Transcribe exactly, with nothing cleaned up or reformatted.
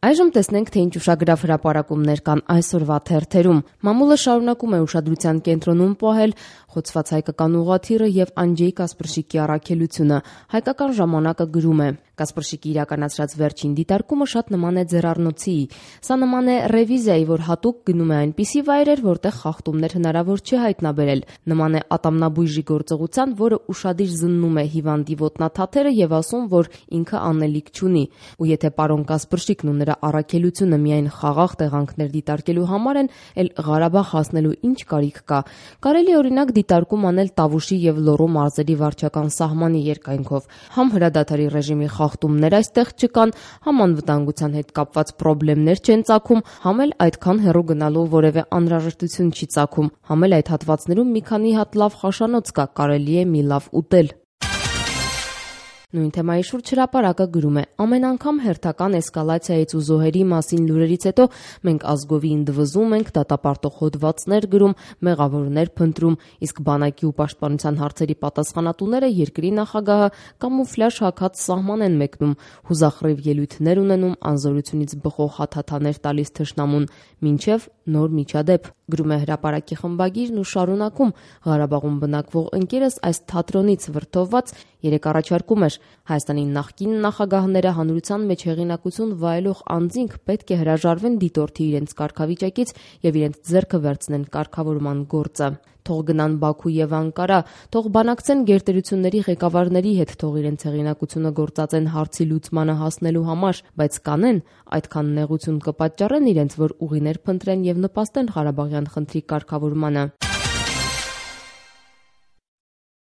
Այժմ տեսնենք, թե ինչ ուշագրավ հրապարակումներ կան այսօրվա թերթերում։ Մամուլը շարունակում է ուշադրության կենտրոնում պահել խոցված հայկական ուղղաթիռը եւ Անջեյ Կասպրշիկի առաքելությունը։ Հայկական ժամանակը գրում է. Կասպրշիկի իրականացրած վերջին դիտարկումը շատ նման է ձեռառնոցի։ Սա նման է ռևիզիայի, որ հատուկ գնում է այնպիսի վայրեր, որտեղ խախտումներ հնարավոր չի հայտնաբերել։ Նման է ատամնաբույժի գործողության, որը ուշադիր զննում է հիվանդի ոտնաթաթերը եւ ասում, որ ինքը անելիք չունի։ Ու եթե պարոն Կասպրշիկն ու նրա առաքելությունը միայն խաղաղ տեղանքներ դիտարկելու համար են, էլ Ղարաբաղ հասնելու ինչ կարիք կա։ Կարելի օրինակ դիտարկում անել Տավուշի եւ Լոռու մարզերի վարչական սահմանի երկայնքով։ Համ հրադադարի ռեժիմի խախտումներ այստեղ չկան, համ անվտանգության հետ կապված խնդիրներ չեն ծագում, համ էլ այդքան հեռու գնալու որևէ անհրաժեշտություն չի ծագում, համ էլ այդ հատվածներում մի քանի հատ լավ խաշանոց կա, կարելի է մի լավ ուտել։ Նույն թեմայի շուրջ հրապարակը գրում է. ամեն անգամ հերթական էսկալացիայից ու զոհերի մասին լուրերից հետո մենք ազգովի ընդվզում ենք, դատապարտող հոդվածներ գրում, մեղավորներ փնտրում, իսկ բանակի ու պաշտպանության հարցերի պատասխանատուները երկրի նախագահը կամուֆլյաժ հագած սահման են մեկնում, հուզախռիվ ելույթներ ունենում, անզորությունից բխող հաթաթաներ տալիս թշնամուն, մինչև նոր միջադեպ։ Գրում է հրապարակի խմբագիրն ու շարունակում. Ղարաբաղում բնակվող ընկերս այս թատրոնից վրդովված երեք առաջարկում էր. Հայաստանի նախկին նախագահները հանրության մեջ հեղինակություն վայելող անձինք պետք է հրաժարվեն դիտորդի իրենց կարգավիճակից եւ իրենց ձեռքը վերցնեն կարգավորման գործը։ Թող գնան Բաքու եւ Անկարա, թող բանակցեն գերտերությունների ղեկավարների հետ, թող իրենց հեղինակությունը գործածեն հարցի լուծմանը հասնելու համար, բայց կանեն, այդքան նեղություն կպատճառեն իրենց, որ ուղիներ փնտրեն եւ նպաստեն Ղարաբաղյան խնդրի կարգավորմանը։